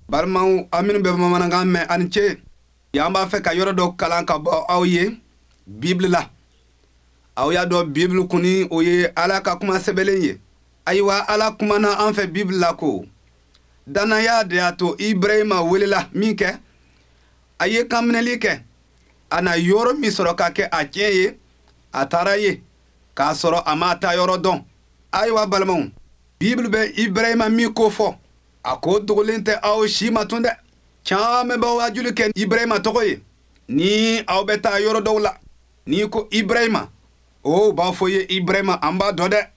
Balimaw, aw minnu bɛ bamanankan mɛn, a ni ce. Yan b'a fɛ ka yɔrɔ dɔ kalan ka bɔ aw ye Bibili la. Aw y'a dɔn, Bibili kɔni, o ye Ala ka kuma sɛbɛnlen ye. Ayiwa, Ala kumana an fɛ Bibili la ko dannaya de y'a to Ibrahima welela min kɛ, a ye kanminɛli kɛ, a na yɔrɔ min sɔrɔ ka kɛ a tiɲɛ ye, a taara ye k'a sɔrɔ a ma taa yɔrɔ dɔn. Ayiwa balimaw, Bibili bɛ Ibrahima min ko fɔ, a ko dogolen tɛ aw si ma tun dɛ. Caman bɛ wajuli kɛ Ibrahima tɔgɔ ye. Ni aw bɛ taa yɔrɔ dɔw la, n'i ko Ibrahima, o b'a fɔ ye: Ibrahima, an b'a dɔn dɛ,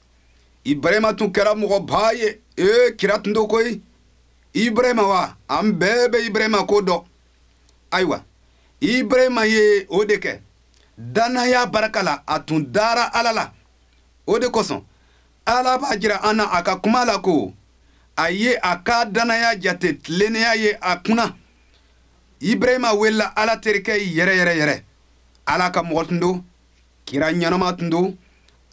Ibrahima tun kɛra mɔgɔba ye, ee, kira tun do koyi. Ibrahima wa, an bɛɛ bɛ Ibrahima ko dɔn. Ayiwa, Ibrahima ye o de kɛ dannaya barika la. A tun dara Ala la, o de kosɔn Ala b'a jira an na a ka kuma la ko a ye a ka dannaya jate tilennenya ye a kunna. Ibrahima welela Ala terikɛ yɛrɛ yɛrɛ yɛrɛ. Ala ka mɔgɔ tun don, kira ɲɛnama tun don.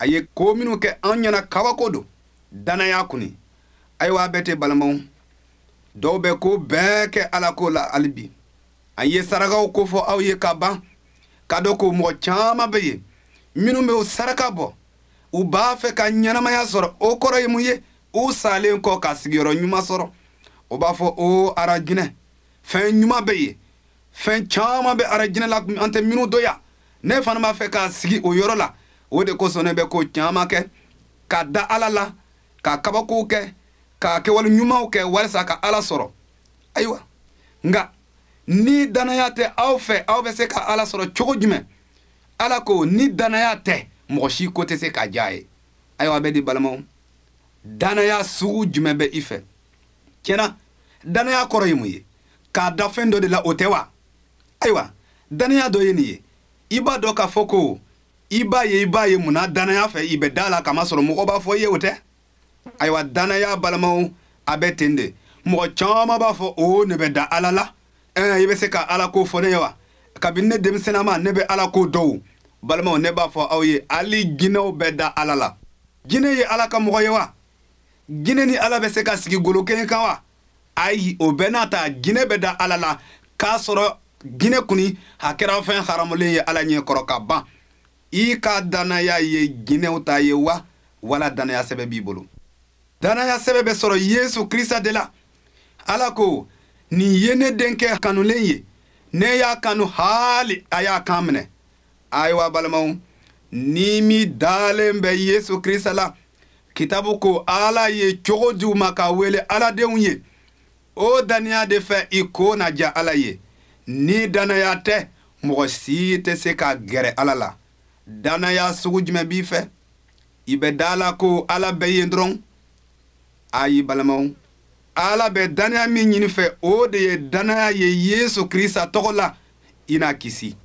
A ye ko minnu kɛ an ɲɛna, kabako don dannaya kuni. Ayiwa, a bɛɛ tɛ, balimaw. Dɔw bɛ ko bɛɛ kɛ Ala ko la hali bi. An ye sarakaw ko fɔ aw ye ka ban, ka dɔn ko mɔgɔ caman bɛ yen minnu bɛ o saraka bɔ, u b'a fɛ ka ɲɛnamaya sɔrɔ. O kɔrɔ ye mun ye? U salen kɔ, ka sigiyɔrɔ ɲuman sɔrɔ. O b'a fɔ o arajinɛ, fɛn ɲuman bɛ yen, fɛn caman bɛ arajinɛ la an tɛ minnu dɔn yan. Ne fana b'a fɛ k'a sigi o yɔrɔ la, o de kosɔn ne bɛ ko caman kɛ ka da Ala la, ka kabakow kɛ, ka kɛwale ɲumanw kɛ walasa ka Ala sɔrɔ. Ayiwa, nka ni dannaya tɛ aw fɛ, aw bɛ se ka Ala sɔrɔ cogo jumɛn? Ala ko ni dannaya tɛ, mɔgɔ si ko tɛ se ka diya ye. Ayiwa, bɛ di balimaw, dannaya sugu jumɛn bɛ i fɛ? Tiɲɛna, dannaya kɔrɔ ye mun ye? K'a da fɛn dɔ de la, o tɛ wa? Ayiwa, dannaya dɔ ye nin ye: i b'a dɔn k'a fɔ ko i b'a ye, i b'a ye munna dannaya fɛ, i bɛ da la, kamasɔrɔ mɔgɔ b'a fɔ i ye, o tɛ? Ayiwa, dannaya, balimaw, a bɛ ten de. Mɔgɔ caman b'a fɔ o ne bɛ da Ala la. Ɛɛ, i bɛ se ka Ala ko fɔ ne ye wa? Kabini ne denmisɛnnama, ne bɛ Ala ko dɔw. Balimaw, ne b'a fɔ aw ye, hali jinɛw bɛ da Ala la. Jinɛ ye Ala ka mɔgɔ ye wa? Jinɛ ni Ala bɛ se ka sigi golo kelen kan wa? Ayi. O bɛɛ n'a ta, jinɛ bɛ da Ala la, k'a sɔrɔ jinɛ kuni a kɛra fɛn haramulen ye Ala ɲɛ kɔrɔ ka ban. I ka dannaya ye jinɛw ta ye wa, wala dannaya sɛbɛ b'i bolo? Dannaya sɛbɛ bɛ sɔrɔ Yesu Krista de la. Ala ko: nin ye ne denkɛ kanulen ye, ne y'a kanu, haali a y'a kan minɛ. Ayiwa balimaw, ni min dalen bɛ Yesu Krista la, kitabu ko Ala ye cogo di u ma ka wele Aladenw ye. O dannaya de fɛ, i ko na diya Ala ye. Ni dannaya tɛ, mɔgɔ si tɛ se ka gɛrɛ Ala la. Dannaya sugu jumɛn b'i fɛ? I bɛ da la ko Ala bɛ yen dɔrɔn? Ayi balimaw, Ala bɛ dannaya min ɲini fɛ, o de ye dannaya ye Yesu Krista tɔgɔ la, i na kisi.